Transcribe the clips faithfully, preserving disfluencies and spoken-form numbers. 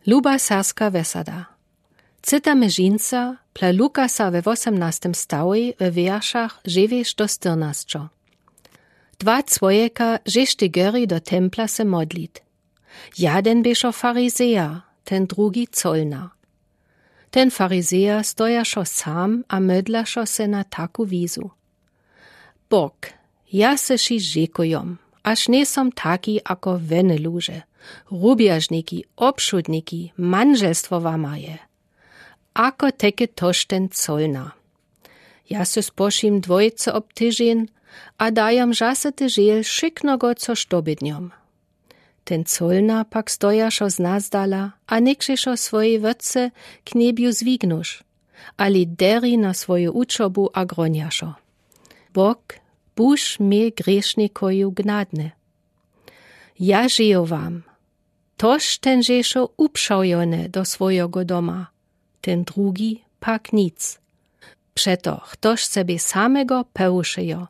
Luba serska wesada. Cytamy žinca pla Lukasa we wósemnastym stałej we wieršach dźewjeć do štyrnasćo. Dwa cwojeka žeštej gori do templa se modlit. Jaden běšo farizeja, ten drugi colna. Ten farizeja stojašo sam a mydlašo se na taku wizu: Bóg, ja se ši žekujom, aż njejsom taki ako wene luže, rubjažniki, obšudniki, mandźelstwo wama je. Ako teky tož ten colna. Ja se spošim dwojce ob tyžeń a dajom žasyty žel wšyknogo, což dobydnjom. Ten colna pak stojašo znazdala a někšejšo swojej wótce k njebju zwignuš, ale deri na swoju učobu a gronjašo: Bóg, buź mie grěšnikoju gnadny. Ja žeju wam, tož ten žeše upšałjony do swojego doma, ten drugi pak nic. Přetož chtož sebje samego pełušejo,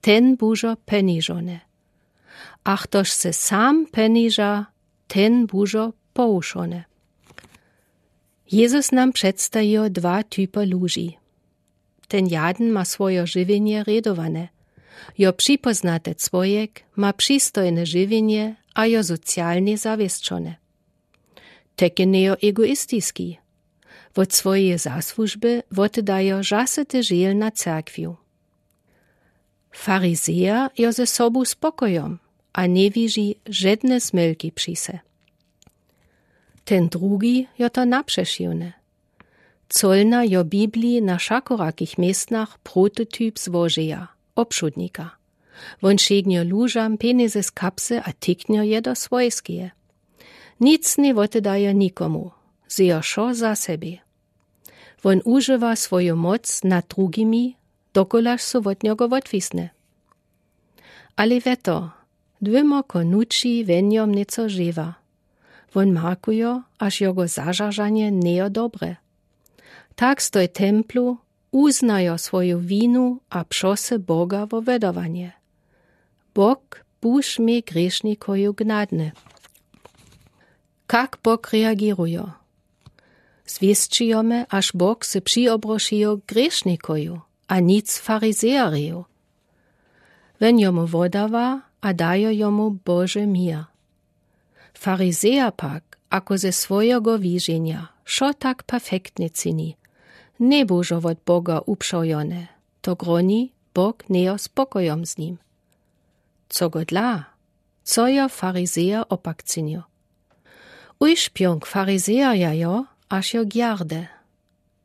ten bužo penižony. A chtož se sam peniža, ten bužo połušony. Jezus nam předstajijo dwa typy luži. Ten jaden ma swojo žiwjenje rědowane. Jo připoznate cwojek ma přistojne žiwjenje a jo socialnje zawěsćone. Teky njejo egoistiski. Wot swojeje zasłužby wotdajo žasyty žel na cerkwił. Farizeja jo ze sobu spokojom a njewiži žedne zmylki při se. Ten drugi jo to napřešiwne. Colna jo w Bibliji na wšakorakich městnach prototyp złožeja, obšudnika. Wón šegnjo lužam pjenjezy z kapsy a tiknjo je do swojskeje. Nic nje wotdajo nikomu, zejo wšo za sebje. Wón užiwa swoju moc nad drugimi, dokulaž su wot njogo wotwisne. Ale wěto, dwěmo konući wjenjom něco žewa. Wón markujo, aż jogo zažaržanje njejo dobre. Tak stoj templu, uznajo swoju winu a přosy Boga wo wydawanje: Bóg, buź mie grěšnikoju gnadny. Kak Bóg reagirujo? Zwěsćijome, aż Bóg se přiobrošijo grěšnikoju a nic farizejareju. Wón jomu wodawa a dajo jomu Bože mir. Farizeja pak, ako ze swojogo wiženja wšo tak perfektnje čini, njebužo wot Boga upšałjone, to groni, Bóg njejo spokojom z nim. Co go dla? Co jo farizeja opak činjo? Ušpjónk farizeja jo, aż jo gjarde.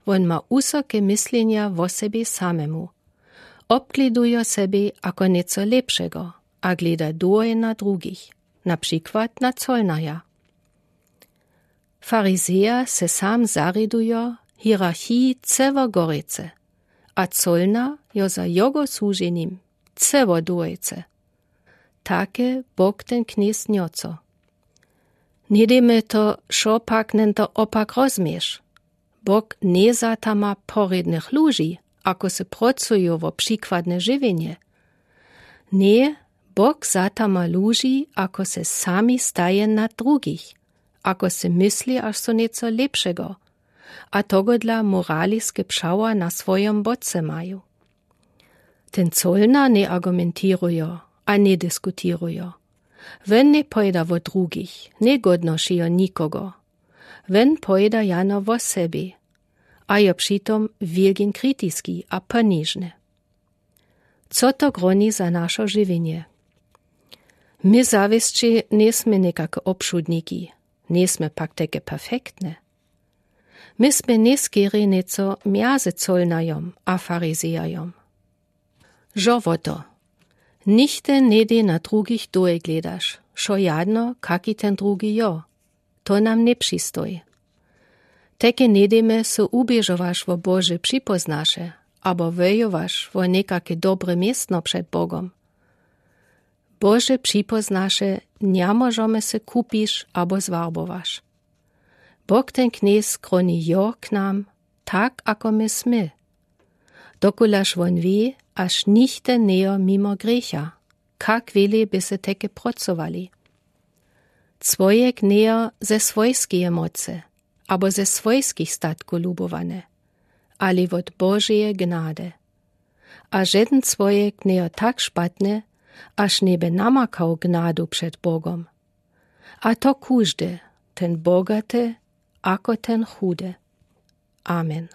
Wón ma wusoke myslenja wo sebje samemu. Obgledujo sebje ako něco lěpšego a gleda dłuje na drugich, na přikład na colnaja. Farizeja se sam zarědujo hierarchiji ceło gorjecy, a colna jo za jogo słuženjim ceło dłujcy. Take Bóg ten knjez njoco. Njedej mie to, šopak njen to opak rozmješ. Bóg nje zatama porědnych luži, ako se procuju wo přikładne žiwjenje. Nje, Bóg zatama luži, ako se sami staje nad drugich, ako se mysli, aż su něco lěpšego, a togodla moraliske přawa na swojom bóce maju. Ten colna nje argumentiruje a nje diskutiruje. Wón nje pojeda wo drugich, nje godnoši jo nikogo. Wón pojeda jano wo sebje, a jo přitom wielgin kritiski a ponižny. Co to groni za našo žiwjenje? My zawěsće njesme někake obšudniki, njesme pak teke perfektne. My smy njeskerje něco mjezy colnajom a farizejajom. Žo wo to. Nichte njedej na drugich dłuje gledaš, wšo jadno, kaki ten drugi jo. To nam nje přistoji. Teke njedejme so uběžowaš wo Bože připoznaše, abo wojowaš wo někake dobre městno před Bogom. Bože připoznaše nja móžome se kupiš abo zwarbowaš. Bóg ten knjez groni jo k nam, tak ako my smy. Dokulaž wón wě, aż nichte njejo mimo grěcha, kak wjele by se teke procowali. Cwojek nie jo ze swojskeje mocy abo ze swojskich statków lubowane, ale wod Božeje gnady. A żeden cwojek nie jo tak szpatny, aż nie bë namakał gnadu przed Bogom. A to kòżdy, ten bogaty ako ten chudy. Amen.